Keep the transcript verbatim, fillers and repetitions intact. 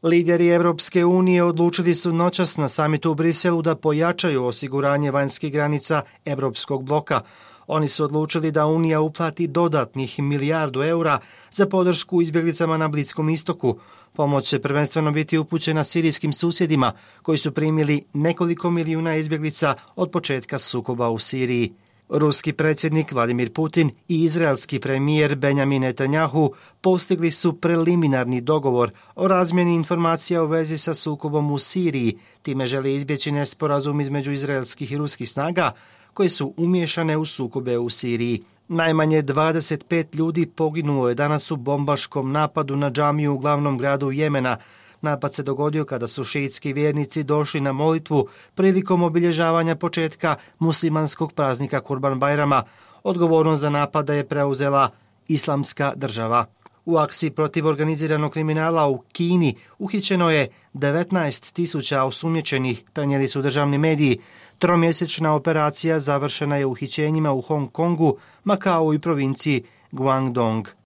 Lideri Evropske unije odlučili su noćas na samitu u Briselu da pojačaju osiguranje vanjskih granica Evropskog bloka. Oni su odlučili da Unija uplati dodatnih milijardu eura za podršku izbjeglicama na Bliskom istoku. Pomoć će prvenstveno biti upućena sirijskim susjedima koji su primili nekoliko milijuna izbjeglica od početka sukoba u Siriji. Ruski predsjednik Vladimir Putin i izraelski premijer Benjamin Netanjahu postigli su preliminarni dogovor o razmjeni informacija u vezi sa sukobom u Siriji. Time žele izbjeći nesporazum između izraelskih i ruskih snaga koje su umiješane u sukobe u Siriji. Najmanje dvadeset pet ljudi poginulo je danas u bombaškom napadu na džamiju u glavnom gradu Jemena. Napad se dogodio kada su šiitski vjernici došli na molitvu prilikom obilježavanja početka muslimanskog praznika Kurban Bajrama. Odgovornost za napada je preuzela Islamska država. U akciji protiv organiziranog kriminala u Kini uhićeno je devetnaest tisuća osumnjičenih, prenijeli su državni mediji. Tromjesečna operacija završena je uhićenjima u Hong Kongu, Makau i provinciji Guangdong.